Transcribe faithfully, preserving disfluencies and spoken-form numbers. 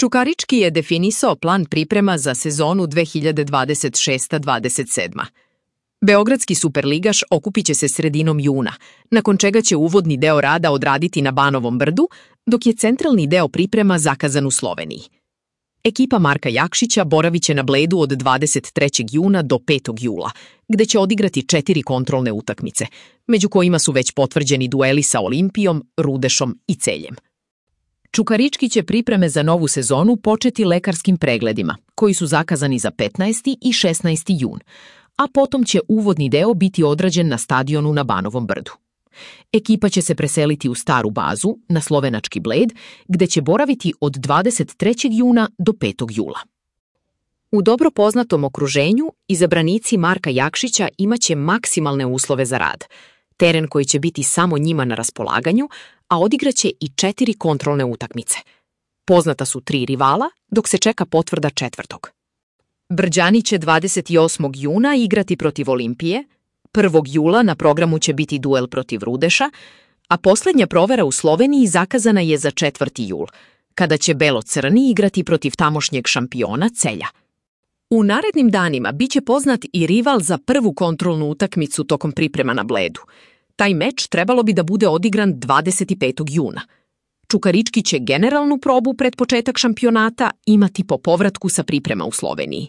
Čukarički je definisao plan priprema za sezonu dve hiljade dvadeset šesta dvadeset sedma. Beogradski superligaš okupit će se sredinom juna, nakon čega će uvodni deo rada odraditi na Banovom brdu, dok je centralni deo priprema zakazan u Sloveniji. Ekipa Marka Jakšića boravit će na Bledu od dvadeset trećeg juna do petog jula, gde će odigrati četiri kontrolne utakmice, među kojima su već potvrđeni dueli sa Olimpijom, Rudešom i Celjem. Čukarički će pripreme za novu sezonu početi lekarskim pregledima, koji su zakazani za petnaesti i šesnaesti jun, a potom će uvodni deo biti odrađen na stadionu na Banovom brdu. Ekipa će se preseliti u staru bazu, na slovenački Bled, gde će boraviti od dvadeset trećeg juna do petog jula. U dobro poznatom okruženju, izabranici Marka Jakšića imaće maksimalne uslove za rad, teren koji će biti samo njima na raspolaganju, a odigraće i četiri kontrolne utakmice. Poznata su tri rivala, dok se čeka potvrda četvrtog. Brđani će dvadeset osmog juna igrati protiv Olimpije, prvog jula na programu će biti duel protiv Rudeša, a posljednja provera u Sloveniji zakazana je za četvrti jul, kada će Belo-crni igrati protiv tamošnjeg šampiona Celja. U narednim danima biće poznat i rival za prvu kontrolnu utakmicu tokom priprema na Bledu. Taj meč trebalo bi da bude odigran dvadeset petog juna. Čukarički će generalnu probu pred početak šampionata imati po povratku sa priprema u Sloveniji.